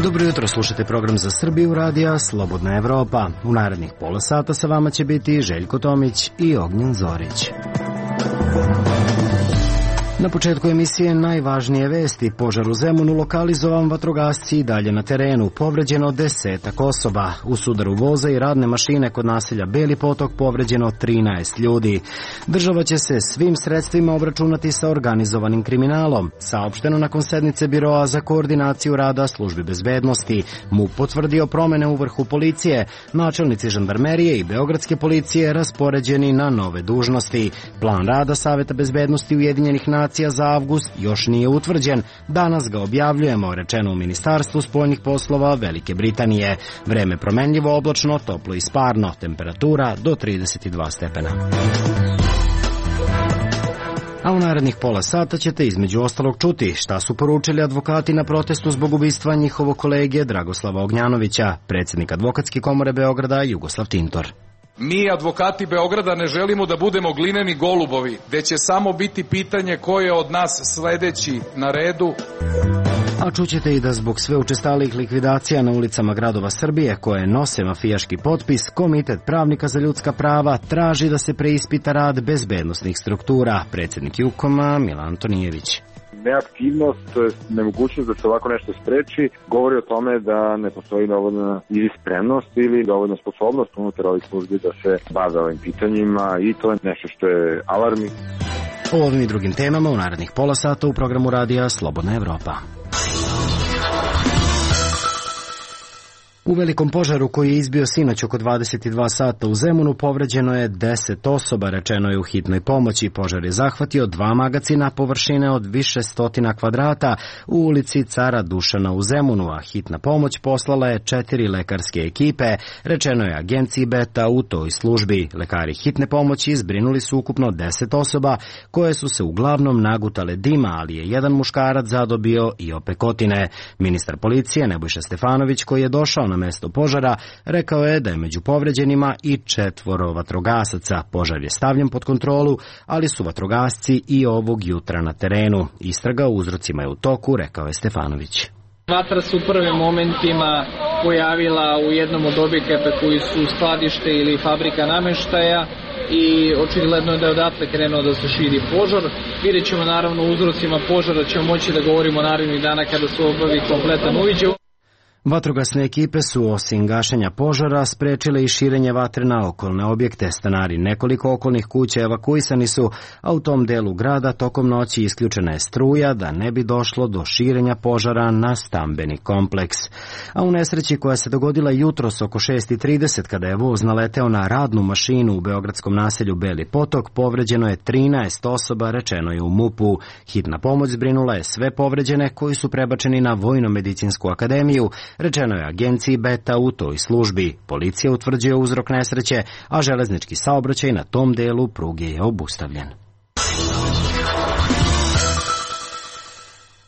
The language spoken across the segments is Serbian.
Dobro jutro, slušate program za Srbiju radija Slobodna Evropa. U narednih pola sata sa vama će biti Željko Tomić i Ognjen Zorić. Na početku emisije najvažnije vesti. Požar u Zemunu, lokalizovan, vatrogasci i dalje na terenu. Povređeno 10 osoba. U sudaru voza i radne mašine kod naselja Beli Potok povređeno 13 ljudi. Država će se svim sredstvima obračunati sa organizovanim kriminalom. Saopšteno nakon sednice Biroa za koordinaciju rada službi bezbednosti. MUP potvrdio promene u vrhu policije. Načelnici žandarmerije i beogradske policije raspoređeni na nove dužnosti. Plan rada Saveta bezbednosti Ujedinjenih nacija za avgust još nije utvrđen. Danas ga objavljujemo, rečeno u Ministarstvu spoljnih poslova Velike Britanije. Vreme promenljivo, oblačno, toplo i sparno. Temperatura do 32 stepena. A u narednih pola sata ćete između ostalog čuti šta su poručili advokati na protestu zbog ubistva njihovog kolege Dragoslava Ognjanovića, predsjednik Advokatske komore Beograda Jugoslav Tintor. Mi, advokati Beograda, ne želimo da budemo glineni golubovi, gde će samo biti pitanje ko je od nas sledeći na redu. A čućete i da zbog sve učestalih likvidacija na ulicama gradova Srbije, koje nose mafijaški potpis, Komitet pravnika za ljudska prava traži da se preispita rad bezbednosnih struktura. Predsjednik Jukoma Milan Antonijević. Neaktivnost, to je nemogućnost da se ovako nešto spreči, govori o tome da ne postoji dovoljna ili spremnost ili dovoljna sposobnost unutar ovih službi da se bave ovim pitanjima i to je nešto što je alarmi. O ovim i drugim temama u narednih pola sata u programu radija Slobodna Evropa. U velikom požaru koji je izbio sinoć oko 22 sata u Zemunu povređeno je 10 osoba, rečeno je u hitnoj pomoći. Požar je zahvatio 2 magacina površine od više stotina kvadrata u ulici Cara Dušana u Zemunu, a hitna pomoć poslala je 4 lekarske ekipe, rečeno je agenciji Beta u toj službi. Lekari hitne pomoći zbrinuli su ukupno 10 osoba koje su se uglavnom nagutale dima, ali je jedan muškarac zadobio i opekotine. Ministar policije Nebojša Stefanović, koji je došao na mesto požara, rekao je da je među povređenima i 4 vatrogasaca. Požar je stavljen pod kontrolu, ali su vatrogasci i ovog jutra na terenu. Istraga o uzrocima je u toku, rekao je Stefanović. Vatra se u prvim momentima pojavila u jednom od objekata koji su skladište ili fabrika nameštaja i očigledno je da je odatle krenuo da se širi požar. Vidjet ćemo naravno o uzrocima požara, ćemo moći da govorimo narednih dana kada se obavi kompletan uviđaj. Vatrogasne ekipe su osim gašenja požara sprečile i širenje vatre na okolne objekte. Stanari nekoliko okolnih kuća evakuisani su, a u tom delu grada tokom noći isključena je struja da ne bi došlo do širenja požara na stambeni kompleks. A u nesreći koja se dogodila jutros oko 6:30 kada je voz naleteo na radnu mašinu u beogradskom naselju Beli Potok, povređeno je 13 osoba, rečeno je u MUP-u. Hitna pomoć zbrinula je sve povređene koji su prebačeni na Vojno-medicinsku akademiju, rečeno je agenciji Beta u toj službi. Policija utvrđuje uzrok nesreće, a železnički saobraćaj na tom delu pruge je obustavljen.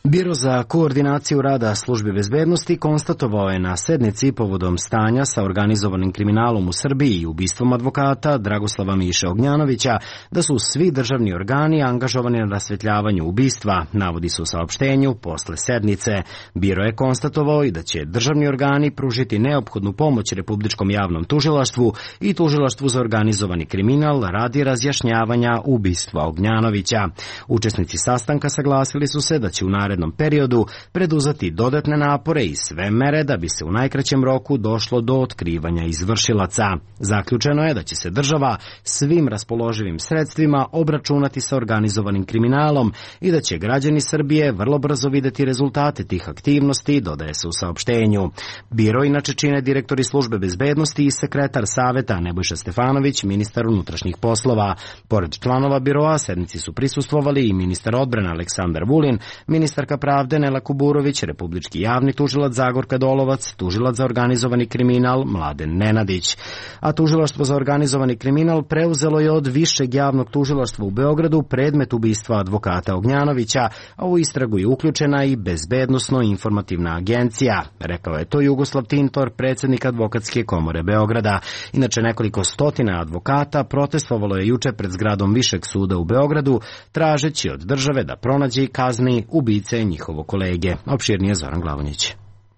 Biro za koordinaciju rada službe bezbednosti konstatovao je na sednici povodom stanja sa organizovanim kriminalom u Srbiji i ubistvom advokata Dragoslava Miše Ognjanovića da su svi državni organi angažovani na rasvetljavanju ubistva, navodi se u saopštenju posle sednice. Biro je konstatovao i da će državni organi pružiti neophodnu pomoć Republičkom javnom tužilaštvu i Tužilaštvu za organizovani kriminal radi razjašnjavanja ubistva Ognjanovića. Učesnici sastanka saglasili su se da će u narednom periodu preduzeti dodatne napore i sve mere da bi se u najkraćem roku došlo do otkrivanja izvršilaca. Zaključeno je da će se država svim raspoloživim sredstvima obračunati sa organizovanim kriminalom i da će građani Srbije vrlo brzo videti rezultate tih aktivnosti, dodaje se u saopštenju. Biro inače čine direktori službe bezbednosti i sekretar saveta Nebojša Stefanović, ministar unutrašnjih poslova. Pored članova biroa sednici su prisustvovali i ministar odbrane Aleksandar Vulin, ministar ministarka pravde Nela Kuburović, republički javni tužilac Zagorka Dolovac, tužilac za organizovani kriminal Mladen Nenadić. A tužilaštvo za organizovani kriminal preuzelo je od Višeg javnog tužilaštva u Beogradu predmet ubistva advokata Ognjanovića, a u istragu je uključena i Bezbednosno-informativna agencija, rekao je to Jugoslav Tintor, predsjednik Advokatske komore Beograda. Inače, nekoliko stotina advokata protestovalo je juče pred zgradom Višeg suda u Beogradu, tražeći od države da pronađe i kazni ubice njihovog kolege. Opširnije Zoran Glavonjić.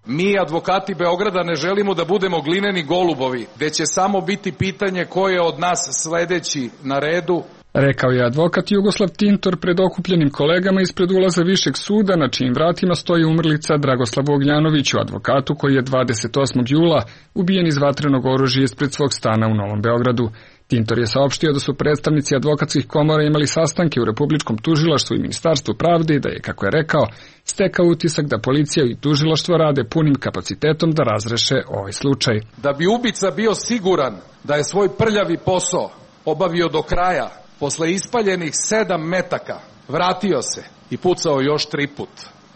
Mi, advokati Beograda, ne želimo da budemo glineni golubovi, gde će samo biti pitanje ko je od nas sledeći na redu, rekao je advokat Jugoslav Tintor pred okupljenim kolegama ispred ulaza Višeg suda, na čijim vratima stoji umrlica Dragoslavu Ognjanoviću, advokatu koji je 28. jula ubijen iz vatrenog oružja ispred svog stana u Novom Beogradu. Tintor je saopštio da su predstavnici advokatskih komora imali sastanke u Republičkom tužilaštvu i Ministarstvu pravde i da je, kako je rekao, stekao utisak da policija i tužilaštvo rade punim kapacitetom da razreše ovaj slučaj. Da bi ubica bio siguran da je svoj prljavi posao obavio do kraja, posle ispaljenih 7 metaka, vratio se i pucao još 3 put.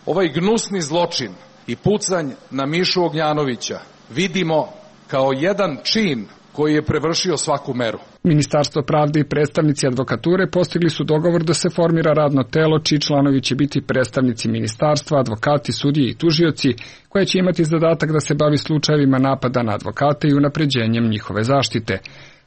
Ovaj gnusni zločin i pucanj na Mišu Ognjanovića vidimo kao jedan čin koji je prevršio svaku meru. Ministarstvo pravde i predstavnici advokature postigli su dogovor da se formira radno telo čiji članovi će biti predstavnici ministarstva, advokati, sudije i tužioci, koje će imati zadatak da se bavi slučajevima napada na advokate i unapređenjem njihove zaštite.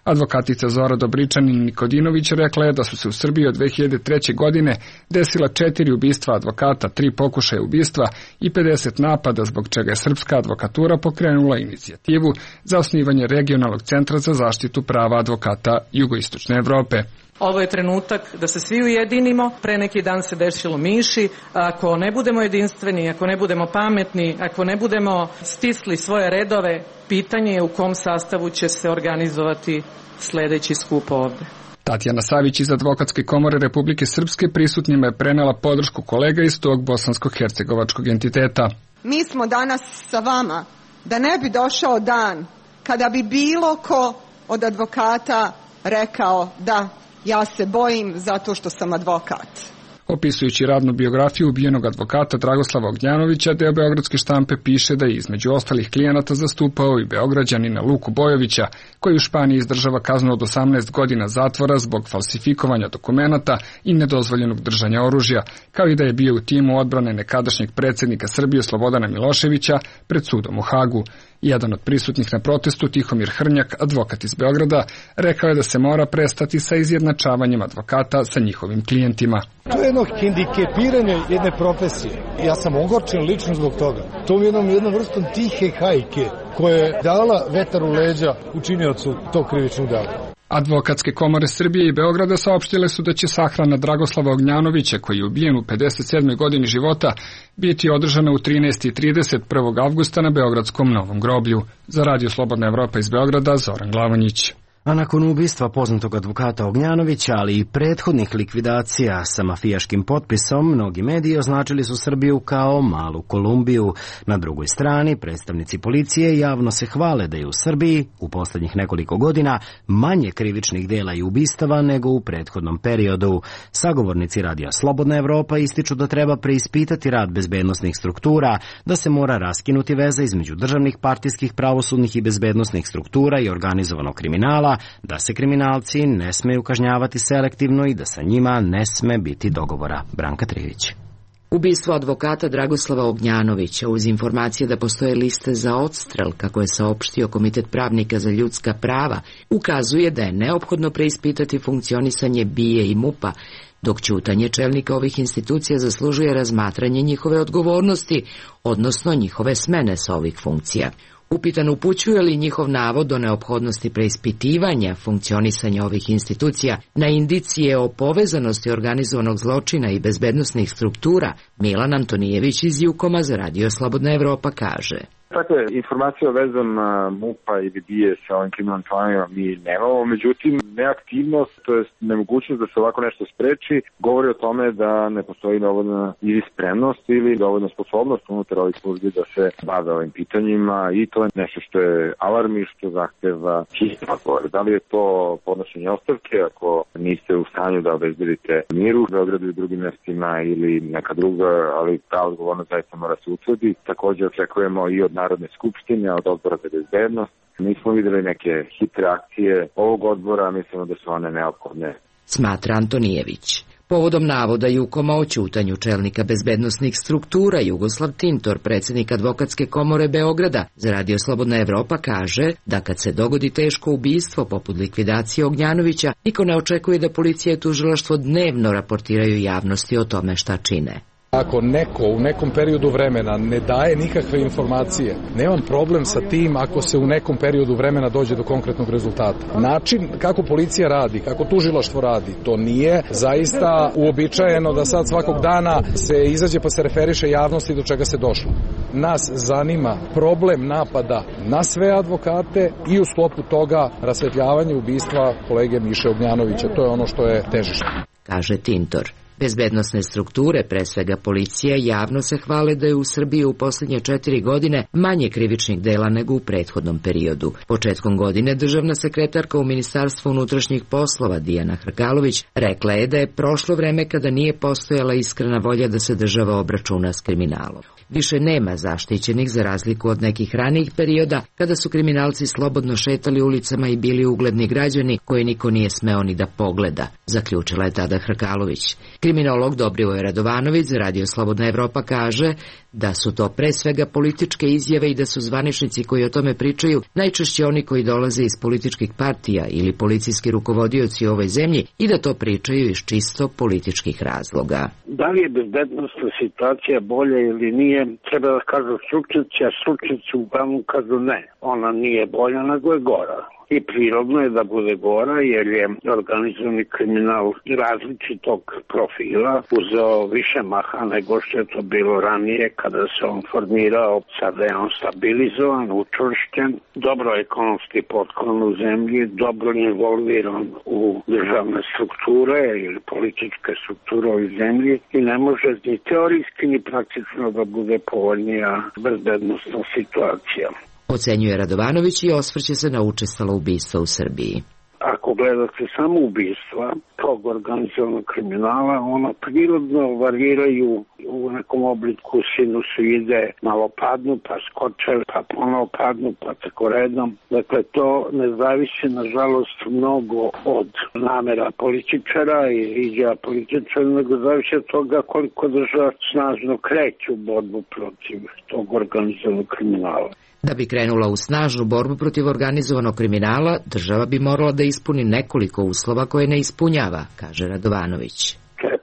Advokatica Zora Dobričanin-Nikodinović rekla je da su se u Srbiji od 2003. godine desila 4 ubistva advokata, 3 pokušaja ubistva i 50 napada, zbog čega je srpska advokatura pokrenula inicijativu za osnivanje regionalnog centra za zaštitu prava advokata Jugoistočne Evrope. Ovo je trenutak da se svi ujedinimo. Pre neki dan se desilo Miši. Ako ne budemo jedinstveni, ako ne budemo pametni, ako ne budemo stisli svoje redove, pitanje je u kom sastavu će se organizovati sledeći skup ovde. Tatjana Savić iz Advokatske komore Republike Srpske prisutnjima je prenela podršku kolega iz tog bosansko-hercegovačkog entiteta. Mi smo danas sa vama da ne bi došao dan kada bi bilo ko od advokata rekao da ja se bojim zato što sam advokat. Opisujući radnu biografiju ubijenog advokata Dragoslava Ognjanovića, deo beogradske štampe piše da je između ostalih klijenata zastupao i Beograđanina Luku Bojovića, koji u Španiji izdržava kaznu od 18 godina zatvora zbog falsifikovanja dokumenata i nedozvoljenog držanja oružja, kao i da je bio u timu odbrane nekadašnjeg predsjednika Srbije Slobodana Miloševića pred sudom u Hagu. Jedan od prisutnih na protestu, Tihomir Hrnjak, advokat iz Beograda, rekao je da se mora prestati sa izjednačavanjem advokata sa njihovim klijentima. To je jedno hendikepiranje jedne profesije. Ja sam ogorčen lično zbog toga. To je jednom vrstom tihe hajke koja je dala vetar u leđa učiniocu tog krivičnog dela. Advokatske komore Srbije i Beograda saopštile su da će sahrana Dragoslava Ognjanovića, koji je ubijen u 57. godini života, biti održana u 13:30 1. avgusta na Beogradskom Novom groblju. Za Radio Slobodna Evropa iz Beograda, Zoran Glavonjić. A nakon ubistva poznatog advokata Ognjanovića, ali i prethodnih likvidacija sa mafijaškim potpisom, mnogi mediji označili su Srbiju kao malu Kolumbiju. Na drugoj strani, predstavnici policije javno se hvale da je u Srbiji u poslednjih nekoliko godina manje krivičnih dela i ubistava nego u prethodnom periodu. Sagovornici Radija Slobodna Evropa ističu da treba preispitati rad bezbednosnih struktura, da se mora raskinuti veza između državnih, partijskih, pravosudnih i bezbednosnih struktura i organizovanog kriminala, da se kriminalci ne smeju kažnjavati selektivno i da sa njima ne sme biti dogovora. Branka Trivić. Ubistvo advokata Dragoslava Ognjanovića uz informacije da postoje liste za odstrel, kako je saopštio Komitet pravnika za ljudska prava, ukazuje da je neophodno preispitati funkcionisanje BIA i MUP-a, dok ćutanje čelnika ovih institucija zaslužuje razmatranje njihove odgovornosti, odnosno njihove smene sa ovih funkcija. Upitan upućuje li njihov navod o neophodnosti preispitivanja funkcionisanja ovih institucija na indicije o povezanosti organizovanog zločina i bezbednosnih struktura, Milan Antonijević iz Jukoma za Radio Slobodna Evropa kaže. Dakle, informacija o vezama MUP-a ili BIE sa ovim kriminalnim klanovima mi nemamo, međutim, neaktivnost, to je nemogućnost da se ovako nešto spreči, govori o tome da ne postoji dovoljna ili spremnost ili dovoljna sposobnost unutar ovih službi da se bave ovim pitanjima i to je nešto što je alarm i što zahteva hitni odgovor. Da li je to podnošenje ostavke ako niste u stanju da obezbedite mir u Beogradu i drugim mestima ili neka druga, ali ta odgovornost zaista mora se utvrdi. Također očekujemo i od Narodne skupštine, od Odbora za bezbednost. Nismo videli neke hitre akcije ovog odbora, mislimo da su one neophodne. Smatra Antonijević. Povodom navoda Jukoma o ćutanju čelnika bezbednosnih struktura Jugoslav Tintor, predsjednik Advokatske komore Beograda, za Radio Slobodna Evropa kaže da kad se dogodi teško ubistvo poput likvidacije Ognjanovića, niko ne očekuje da policija i tužilaštvo dnevno raportiraju javnosti o tome šta čine. Ako neko u nekom periodu vremena ne daje nikakve informacije, nemam problem sa tim ako se u nekom periodu vremena dođe do konkretnog rezultata. Način kako policija radi, kako tužilaštvo radi, to nije zaista uobičajeno da sad svakog dana se izađe pa se referiše javnosti do čega se došlo. Nas zanima problem napada na sve advokate i u sklopu toga rasvetljavanje ubistva kolege Miše Ognjanovića. To je ono što je težište. Kaže Tintor. Bezbednosne strukture, pre svega policija, javno se hvale da je u Srbiji u posljednje 4 godine manje krivičnih dela nego u prethodnom periodu. Početkom godine državna sekretarka u Ministarstvu unutrašnjih poslova Dijana Hrkalović rekla je da je prošlo vreme kada nije postojala iskrena volja da se država obračuna s kriminalom. Više nema zaštićenih za razliku od nekih ranijih perioda kada su kriminalci slobodno šetali ulicama i bili ugledni građani koje niko nije smeo ni da pogleda, zaključila je tada Hrkalović. Kriminolog Dobrivoje Radovanović za Radio Slobodna Evropa kaže da su to pre svega političke izjave i da su zvaničnici koji o tome pričaju najčešće oni koji dolaze iz političkih partija ili policijski rukovodioci u ovoj zemlji i da to pričaju iz čisto političkih razloga. Da li je bezbednosna situacija bolja ili nije, treba da kažu stručnjaci, a stručnjaci uglavnom kažu ne. Ona nije bolja, nego je gora. I prirodno je da bude gora jer je organizovani kriminal različitog profila uzeo više maha nego što je to bilo ranije kada se on formirao. Sada je on stabilizovan, učvršćen, dobro ekonomski potklon u zemlji, dobro involviran u državne strukture ili političke strukture u zemlji i ne može ni teorijski ni praktično da bude povoljnija bezbednosna situacija. Ocenjuje Radovanović i osvrće se na učestalo ubistva u Srbiji. Ako gledate samo ubistva tog organizovanog kriminala, ona prirodno variraju u nekom obliku sinusoide, malo padnu, pa skoče, pa ponovo padnu, pa tako redom. Dakle, to ne zavisi, nažalost, mnogo od namera političara i izjava političara, nego zavisi od toga koliko država snažno kreće u borbu protiv tog organizovanog kriminala. Da bi krenula u snažnu borbu protiv organizovanog kriminala, država bi morala da ispuni nekoliko uslova koje ne ispunjava, kaže Radovanović.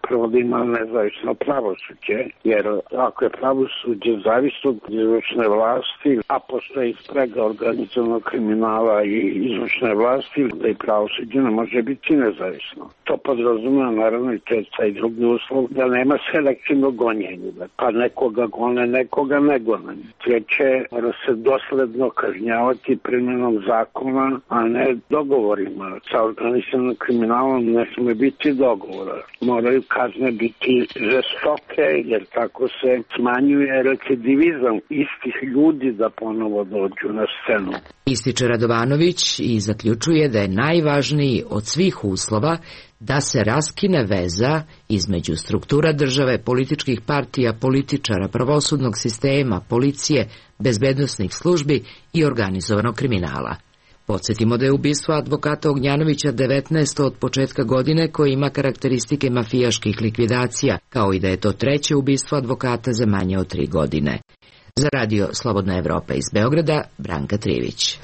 Prvo da ima nezavisno pravosuđe, jer ako je pravosuđe zavisno od izvršne vlasti, a postoji sprega organizovanog kriminala i izvršne vlasti, da i pravosuđe ne može biti nezavisno. To podrazumeva naravno i to je taj drugi uslov, da nema selektivnog gonjenja, pa nekoga gone, nekoga ne gone. Treće, mora se dosledno kažnjavati primjenom zakona, a ne dogovorima. Sa organizovanim kriminalom ne sme biti dogovora. Moraju kazne biti žestoke, jer tako se smanjuje recidivizam istih ljudi da ponovo dođu na scenu. Ističe Radovanović i zaključuje da je najvažniji od svih uslova da se raskine veza između struktura države, političkih partija, političara, pravosudnog sistema, policije, bezbednosnih službi i organizovanog kriminala. Podsjetimo da je ubistvo advokata Ognjanovića 19. od početka godine koje ima karakteristike mafijaških likvidacija, kao i da je to treće ubistvo advokata za manje od 3 godine. Za Radio Slobodna Evropa iz Beograda, Branka Trivić.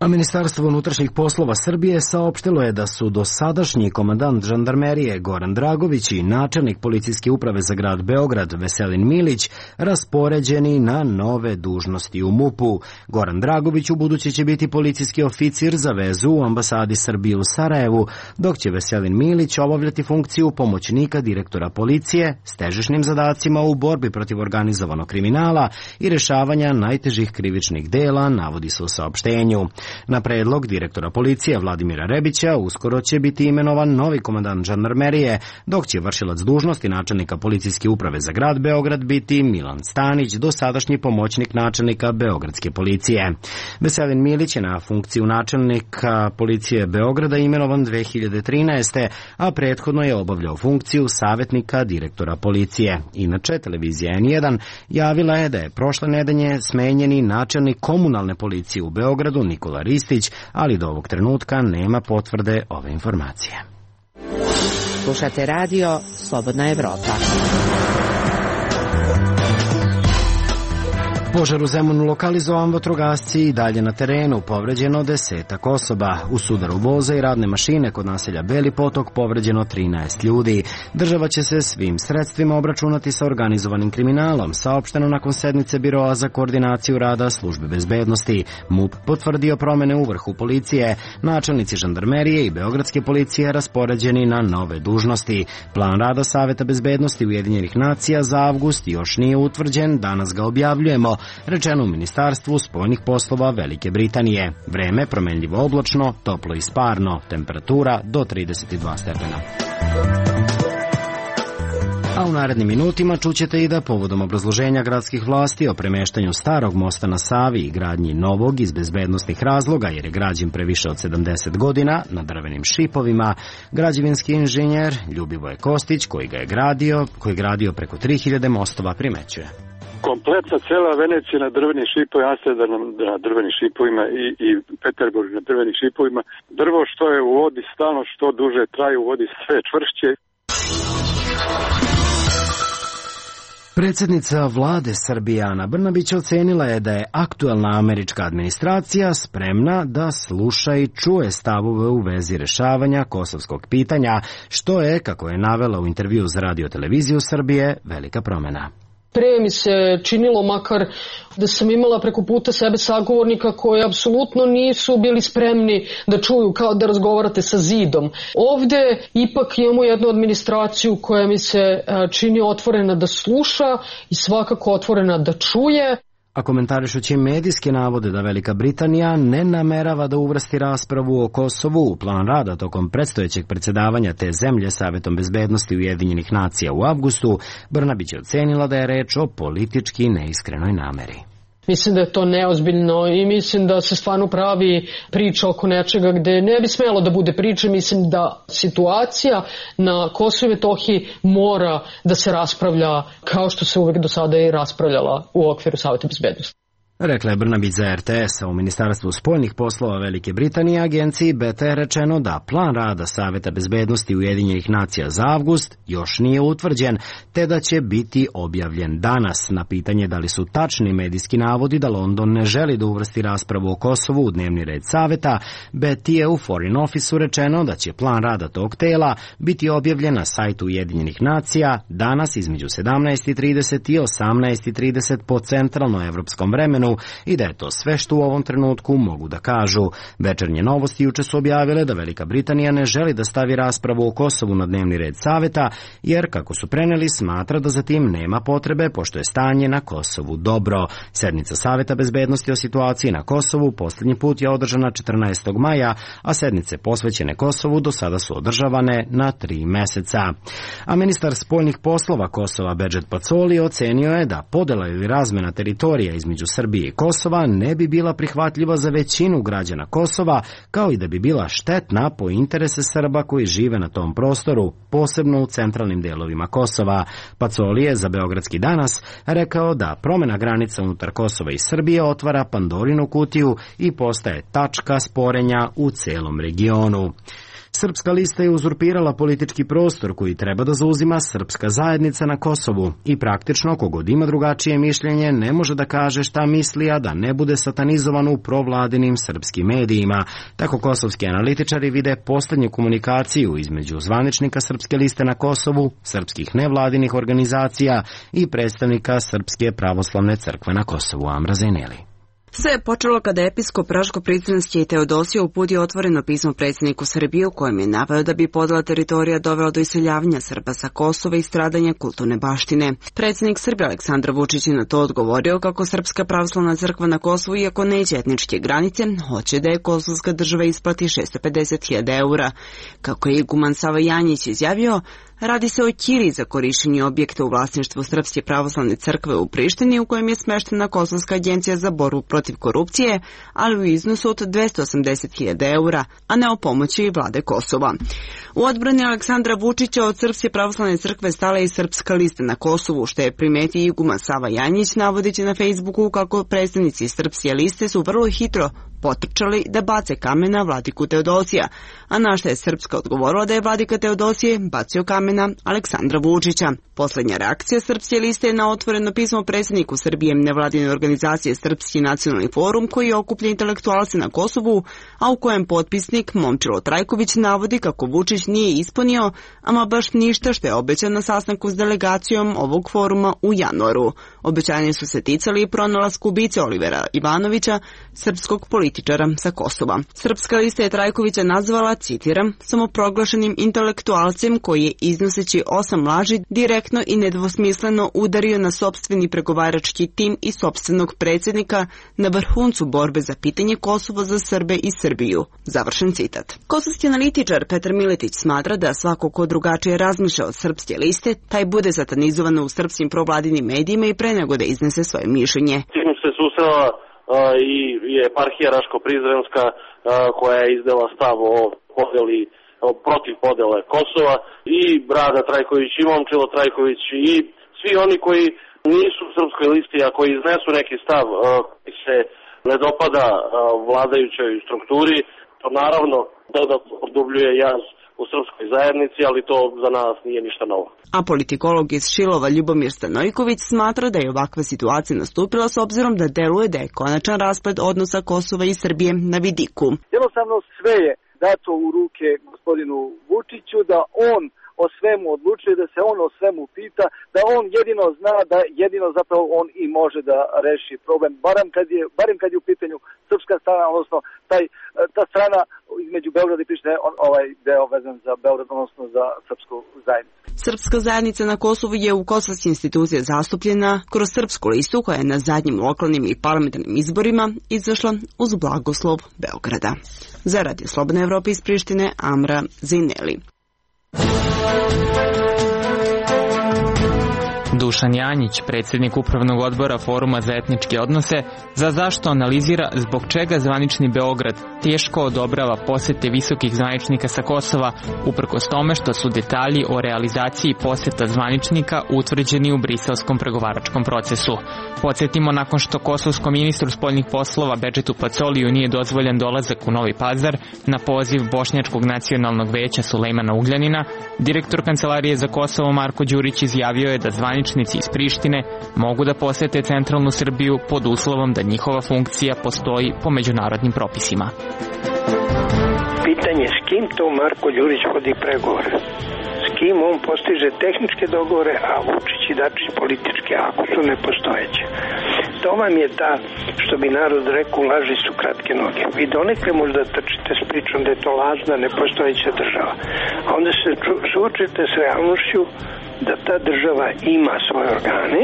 A Ministarstvo unutrašnjih poslova Srbije saopštilo je da su dosadašnji komandant žandarmerije Goran Dragović i načelnik policijske uprave za grad Beograd Veselin Milić raspoređeni na nove dužnosti u MUP-u. Goran Dragović ubuduće će biti policijski oficir za vezu u ambasadi Srbije u Sarajevu, dok će Veselin Milić obavljati funkciju pomoćnika direktora policije s težišnim zadacima u borbi protiv organizovanog kriminala i rešavanja najtežih krivičnih dela, navodi se u saopštenju. Na predlog direktora policije Vladimira Rebića uskoro će biti imenovan novi komandant žandarmerije, dok će vršilac dužnosti načelnika policijske uprave za grad Beograd biti Milan Stanić, dosadašnji pomoćnik načelnika Beogradske policije. Veselin Milić je na funkciju načelnika policije Beograda imenovan 2013. a prethodno je obavljao funkciju savjetnika direktora policije. Inače, televizija N1 javila je da je prošle nedelje smenjeni načelnik komunalne policije u Beogradu Nikola Ristić, ali do ovog trenutka nema potvrde ove informacije. Slušate radio Slobodna Evropa. Požar u Zemunu lokalizovan, vatrogasci i dalje na terenu, povređeno 10 osoba. U sudaru voza i radne mašine kod naselja Beli Potok povređeno 13 ljudi. Država će se svim sredstvima obračunati sa organizovanim kriminalom, saopšteno nakon sednice Biroa za koordinaciju rada službe bezbednosti. MUP potvrdio promene u vrhu policije, načelnici žandarmerije i beogradske policije raspoređeni na nove dužnosti. Plan rada Saveta bezbednosti Ujedinjenih nacija za avgust još nije utvrđen, danas ga objavljujemo, rečeno u Ministarstvu spoljnih poslova Velike Britanije. Vreme promenljivo oblačno, toplo i sparno, temperatura do 32 stepena. A u narednim minutima čućete i da povodom obrazloženja gradskih vlasti o premeštanju starog mosta na Savi i gradnji novog iz bezbednosnih razloga, jer je građen previše od 70 godina na drvenim šipovima, građevinski inženjer Ljubivoje Kostić, koji je gradio preko 3000 mostova, primećuje. Kompletna cela Venecija na drvenim šipovima, Amsterdam na drvenim šipovima i Peterburg na drvenim šipovima. Drvo što je u vodi stalno, što duže traje u vodi, sve čvršće. Predsjednica vlade Srbije Ana Brnabić ocenila je da je aktuelna američka administracija spremna da sluša i čuje stavove u vezi rešavanja kosovskog pitanja, što je, kako je navela u intervju za Radio-televiziju Srbije, velika promena. Pre mi se činilo makar da sam imala preko puta sebe sagovornika koji apsolutno nisu bili spremni da čuju, kao da razgovarate sa zidom. Ovde ipak imamo jednu administraciju koja mi se čini otvorena da sluša i svakako otvorena da čuje. A komentarišući medijske navode da Velika Britanija ne namerava da uvrsti raspravu o Kosovu u plan rada tokom predstojećeg predsjedavanja te zemlje Savetom bezbednosti Ujedinjenih nacija u avgustu, Brnabić je ocenila da je reč o politički neiskrenoj nameri. Mislim da je to neozbiljno i mislim da se stvarno pravi priča oko nečega gde ne bi smelo da bude priče. Mislim da situacija na Kosovu i Metohiji mora da se raspravlja kao što se uvek do sada i raspravljala u okviru Saveta bezbednosti. Rekla je Brnabić za RTS-a. U Ministarstvu spoljnih poslova Velike Britanije agenciji BETA je rečeno da plan rada Saveta bezbednosti Ujedinjenih nacija za avgust još nije utvrđen, te da će biti objavljen danas. Na pitanje da li su tačni medijski navodi da London ne želi da uvrsti raspravu o Kosovu u dnevni red Saveta, BETA je u Foreign Office-u rečeno da će plan rada tog tela biti objavljen na sajtu Ujedinjenih nacija danas između 17:30 i 18:30 po centralnoevropskom vremenu, i da je to sve što u ovom trenutku mogu da kažu. Večernje novosti juče su objavile da Velika Britanija ne želi da stavi raspravu o Kosovu na dnevni red Saveta, jer, kako su preneli, smatra da za tim nema potrebe, pošto je stanje na Kosovu dobro. Sednica Saveta bezbednosti o situaciji na Kosovu poslednji put je održana 14. maja, a sednice posvećene Kosovu do sada su održavane na 3 meseca. A ministar spoljnih poslova Kosova Bedžet Pacoli ocenio je da podela ili razmena teritorija između Srbije i Kosova ne bi bila prihvatljiva za većinu građana Kosova, kao i da bi bila štetna po interese Srba koji žive na tom prostoru, posebno u centralnim delovima Kosova. Pacoli je za Beogradski danas rekao da promena granica unutar Kosova i Srbije otvara Pandorinu kutiju i postaje tačka sporenja u celom regionu. Srpska lista je uzurpirala politički prostor koji treba da zauzima srpska zajednica na Kosovu i praktično kogod ima drugačije mišljenje ne može da kaže šta misli, a da ne bude satanizovan u provladinim srpskim medijima. Tako kosovski analitičari vide poslednju komunikaciju između zvaničnika Srpske liste na Kosovu, srpskih nevladinih organizacija i predstavnika Srpske pravoslavne crkve na Kosovu, Amra Zejneli. Sve je počelo kada episkop Raško-Prizrenski Teodosije uputio otvoreno pismo predsjedniku Srbije u kojem je naveo da bi podela teritorija dovela do iseljavanja Srba sa Kosova i stradanja kulturne baštine. Predsjednik Srbije Aleksandar Vučić je na to odgovorio kako Srpska pravoslavna crkva na Kosovu, iako neće etničke granice, hoće da je kosovska država isplati 650.000 eura. Kako je iguman Sava Janjić izjavio, radi se o ćiri za korišćenje objekta u vlasništvu Srpske pravoslavne crkve u Prištini u kojem je smeštena Kosovska agencija za borbu protiv korupcije, ali u iznosu od 280.000 eura, a ne o pomoći vlade Kosova. U odbrani Aleksandra Vučića od Srpske pravoslavne crkve stala i Srpska lista na Kosovu, što je primetio iguman Sava Janjić, navodeći na Facebooku kako predstavnici Srpske liste su vrlo hitro potrčali da bace kamen na vladiku Teodosija, a na što je Srpska odgovorila da je vladika Teodosije bacio kamena Aleksandra Vučića. Poslednja reakcija Srpske liste je na otvoreno pismo predsjedniku Srbije nevladine organizacije Srpski nacionalni forum koji okuplja intelektualce na Kosovu, a u kojem potpisnik Momčilo Trajković navodi kako Vučić nije ispunio ama baš ništa što je obećan na sastanku s delegacijom ovog foruma u januaru. Obećanje su se ticali i pronalasku ubice Olivera Ivanovića, srpskog političara sa Kosova. Srpska lista je Trajkovića nazvala, citiram, samoproglašenim intelektualcem koji je iznoseći 8 laži direktno i nedvosmisleno udario na sopstveni pregovarački tim i sopstvenog predsjednika na vrhuncu borbe za pitanje Kosova za Srbe i Srbiju. Završen citat. Kosovski analitičar Petar Miletić smatra da svako ko drugačije razmišlja od Srpske liste, taj bude satanizovan u srpskim provladinim medijima i pre nego da iznese svoje mišljenje. Tim se susrela i eparhija Raško-Prizrenska koja je izdala stav o podeli, protiv podele Kosova, i Brada Trajković i Momčilo Trajković i svi oni koji nisu u Srpskoj listi, a koji iznesu neki stav koji se ne dopada vladajućoj strukturi, to naravno dodatno produbljuje jaz u srpskoj zajednici, ali to za nas nije ništa novo. A politikolog iz Šilova Ljubomir Stanojković smatra da je ovakva situacija nastupila s obzirom da deluje da je konačan rasplet odnosa Kosova i Srbije na vidiku. Jednostavno sve je dato u ruke gospodinu Vučiću da on o svemu odlučuje, da se on o svemu pita, da on jedino zna, da jedino zapravo on i može da reši problem, barem kad je u pitanju srpska strana, odnosno ta strana između Beograda i Prištine, ovaj deo vezan za Beograd, odnosno za srpsku zajednicu. Srpska zajednica na Kosovu je u kosovskim institucijama zastupljena kroz Srpsku listu koja je na zadnjim lokalnim i parlamentarnim izborima izašla uz blagoslov Beograda. Za Radio Slobodne Evrope iz Prištine, Amra Zejneli. Dušan Janjić, predsjednik Upravnog odbora Foruma za etničke odnose, za zašto analizira zbog čega zvanični Beograd teško odobrava posete visokih zvaničnika sa Kosova, uprkos tome što su detalji o realizaciji poseta zvaničnika utvrđeni u briselskom pregovaračkom procesu. Podsjetimo, nakon što kosovskom ministru spoljnih poslova Bedžetu Pacoliju nije dozvoljen dolazak u Novi Pazar na poziv Bošnjačkog nacionalnog veća Sulejmana Ugljanina, direktor Kancelarije za Kosovo Marko Đurić izjavio je da zvaničnici iz Prištine mogu da posete centralnu Srbiju pod uslovom da njihova funkcija postoji po međunarodnim propisima. Pitanje s kim to Marko Đurić vodi pregovore? S kim on postiže tehničke dogovore, a Vučić i Dačić političke, ako su nepostojeće. To vam je ta, što bi narod rekao, laži su kratke noge. Vi donekle možda trčite s pričom da je to lažna, nepostojeća država. A onda se suočite s realnošću da ta država ima svoje organe,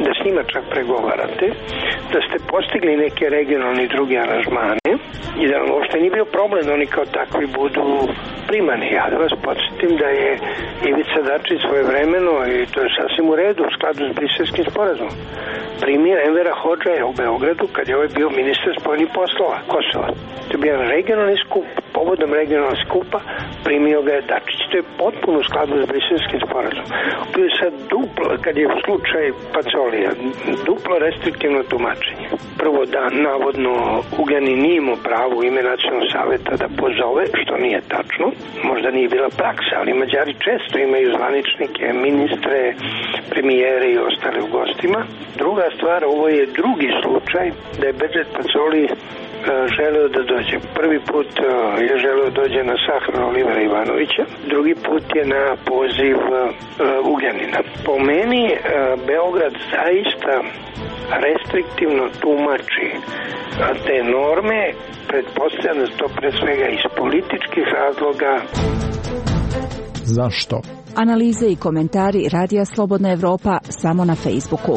da s njima čak pregovarate, da ste postigli neke regionalne i druge aranžmane i da vam uopšte nije bio problem da oni kao takvi budu primani. Ja da vas podsjetim da je Ivica Dačić svojevremeno, i to je sasvim u redu, u skladu s Briselskim sporazumom, Primjer Envera Hodža je u Beogradu kad je ovaj bio ministar spoljnih poslova Kosova. To je bio regionalni skup, povodom regionalnog skupa primio ga je Dačić. To je potpuno u skladu s Briselskim sporazumom. Bio je sad duplo, kad je u slučaj Pacolija, duplo restriktivno tumačenje. Prvo da navodno Ugljanin nije imao pravo u ime Nacionalnog saveta da pozove, što nije tačno, možda nije bila praksa, ali Mađari često imaju zvaničnike, ministre, premijere i ostale u gostima. Druga stvar, ovo je drugi slučaj da je Bedžet Pacoli želeo da dođe. Prvi put je želeo da dođe na sahranu Olivera Ivanovića, drugi put je na poziv Ugljanina. Po meni Beograd zaista restriktivno tumači te norme, pretpostavljam da to pre svega iz političkih razloga. Zašto? Analize i komentari Radija Slobodna Evropa samo na Facebooku.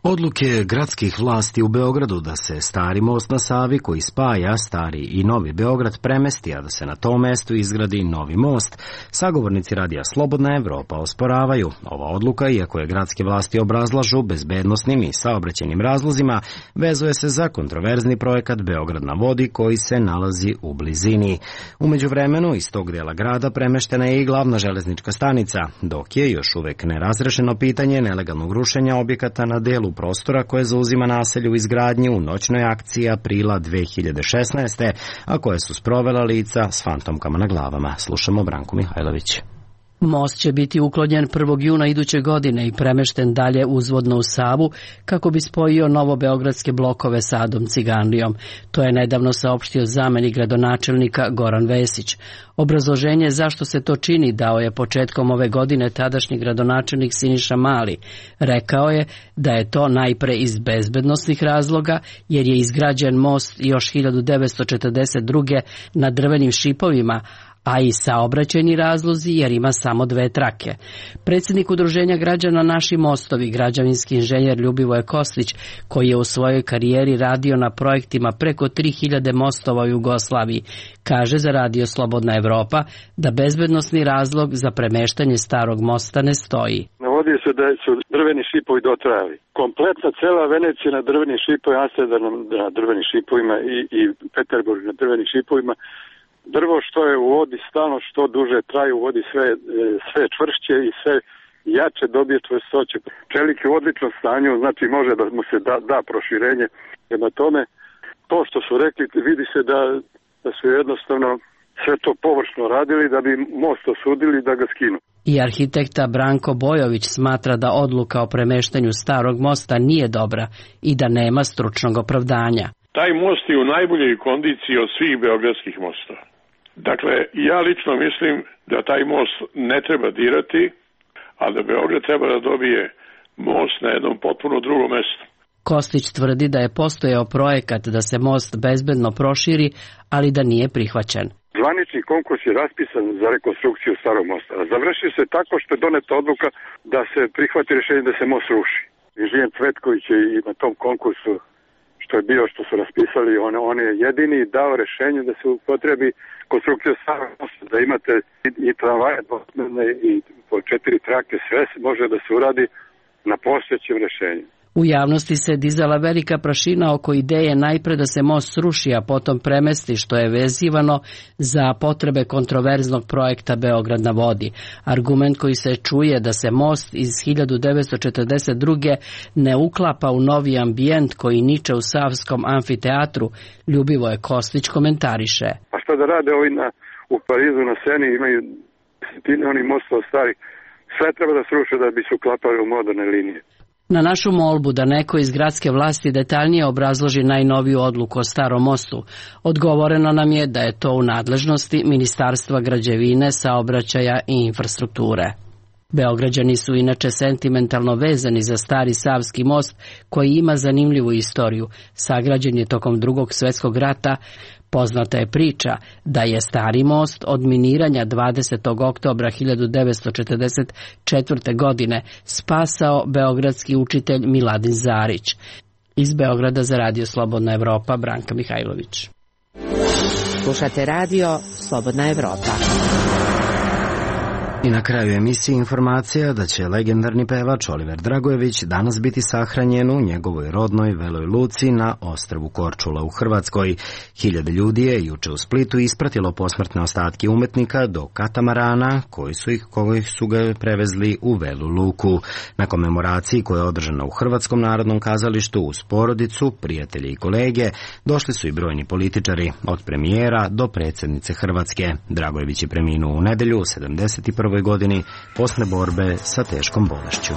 Odluke gradskih vlasti u Beogradu da se stari most na Savi koji spaja stari i novi Beograd premesti, a da se na tom mestu izgradi novi most, sagovornici Radija Slobodna Evropa osporavaju. Ova odluka, iako je gradske vlasti obrazlažu bezbednosnim i saobraćajnim razlozima, vezuje se za kontroverzni projekat Beograd na vodi koji se nalazi u blizini. U međuvremenu iz tog dela grada premeštena je i glavna železnička stanica, dok je još uvek nerazrešeno pitanje nelegalnog rušenja objekata na delu prostora koje zauzima naselje u izgradnji u noćnoj akciji aprila 2016. a koje su sprovela lica s fantomkama na glavama. Slušamo Branku Mihajlović. Most će biti uklonjen 1. juna iduće godine i premešten dalje uzvodno u Savu kako bi spojio novobeogradske blokove sa Adom Ciganlijom. To je nedavno saopštio zamenik gradonačelnika Goran Vesić. Obrazloženje zašto se to čini dao je početkom ove godine tadašnji gradonačelnik Siniša Mali. Rekao je da je to najpre iz bezbednosnih razloga jer je izgrađen most još 1942. na drvenim šipovima, a i saobraćajni razlozi jer ima samo 2 trake. Predsjednik udruženja građana Naši mostovi, građevinski inženjer Ljubivoje Koslić, koji je u svojoj karijeri radio na projektima preko 3000 mostova u Jugoslaviji, kaže za Radio Slobodna Evropa da bezbednosni razlog za premeštanje starog mosta ne stoji. Navodi se da su drveni šipovi dotrajali. Kompletna cela Venecija na drvenim šipovima, Amsterdam na drvenim šipovima i Peterburg na drvenim šipovima. Drvo što je u vodi stalno što duže traje u vodi sve čvršće i sve jače dobije čvrstoće. Čelik je u odličnom stanju, znači može da mu se da proširenje. Prema tome, to što su rekli, vidi se da su jednostavno sve to površno radili da bi most osudili da ga skinu. I arhitekta Branko Bojović smatra da odluka o premeštanju starog mosta nije dobra i da nema stručnog opravdanja. Taj most je u najboljoj kondiciji od svih beogradskih mostova. Dakle, ja lično mislim da taj most ne treba dirati, a da Beograd treba da dobije most na jednom potpuno drugom mestu. Kostić tvrdi da je postojao projekat da se most bezbedno proširi, ali da nije prihvaćen. Zvanični konkurs je raspisan za rekonstrukciju starog mosta. Završio se tako što je doneta odluka da se prihvati rješenje da se most ruši. Inženjer Cvetković je i na tom konkursu što su raspisali, on je jedini dao rješenje da se upotrebi konstrukcija starog mosta, da imate i tramvaje i po 4 trake, sve može da se uradi na postojećem rješenju. U javnosti se dizala velika prašina oko ideje najpre da se most sruši, a potom premesti, što je vezivano za potrebe kontroverznog projekta Beograd na vodi. Argument koji se čuje da se most iz 1942. ne uklapa u novi ambijent koji niče u Savskom amfiteatru, Ljubivoje Kostić komentariše. A šta da rade ovi u Parizu na Seni, imaju desetine onih mostova stari, sve treba da sruše da bi se uklapali u moderne linije. Na našu molbu da neko iz gradske vlasti detaljnije obrazloži najnoviju odluku o starom mostu, odgovoreno nam je da je to u nadležnosti Ministarstva građevine, saobraćaja i infrastrukture. Beograđani su inače sentimentalno vezani za stari Savski most koji ima zanimljivu istoriju. Sagrađen je tokom Drugog svjetskog rata. Poznata je priča da je stari most od miniranja 20. oktobra 1944. godine spasao beogradski učitelj Miladin Zarić. Iz Beograda za Radio Slobodna Evropa, Branka Mihajlović. Slušate Radio Slobodna Evropa. I na kraju emisije informacija da će legendarni pevač Oliver Dragojević danas biti sahranjen u njegovoj rodnoj Veloj Luci na ostrvu Korčula u Hrvatskoj. Hiljade ljudi je juče u Splitu ispratilo posmrtne ostatke umetnika do katamarana koji su ga prevezli u Velu Luku. Na komemoraciji koja je održana u Hrvatskom narodnom kazalištu uz porodicu, prijatelje i kolege došli su i brojni političari, od premijera do predsjednice Hrvatske. Dragojević je preminuo u nedelju u 71. godini posle borbe sa teškom bolešću.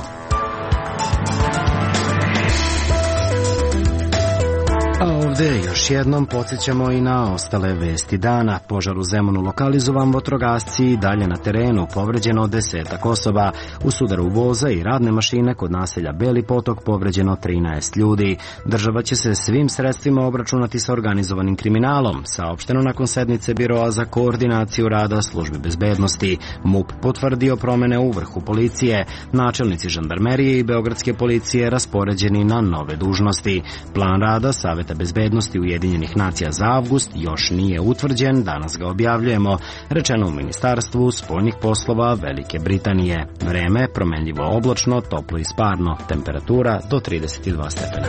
A ovde još jednom podsjećamo i na ostale vesti dana. Požar u Zemunu lokalizovan, vatrogasci i dalje na terenu, povređeno 10 osoba. U sudaru voza i radne mašine kod naselja Beli Potok povređeno 13 ljudi. Država će se svim sredstvima obračunati sa organizovanim kriminalom, saopšteno nakon sednice Biroa za koordinaciju rada službi bezbednosti. MUP potvrdio promene u vrhu policije. Načelnici žandarmerije i beogradske policije raspoređeni na nove dužnosti. Plan rada Saveta bezbednosti Ujedinjenih nacija za avgust još nije utvrđen, danas ga objavljujemo, rečeno u Ministarstvu spoljnih poslova Velike Britanije. Vreme promenljivo oblačno, toplo i sparno, temperatura do 32 stepena.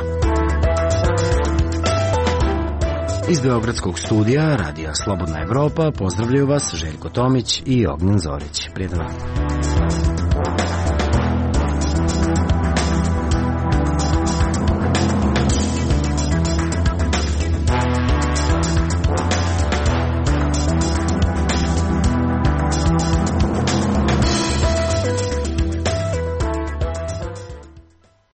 Iz beogradskog studija Radija Slobodna Evropa pozdravljaju vas Željko Tomić i Ognjen Zorić. Prijatno.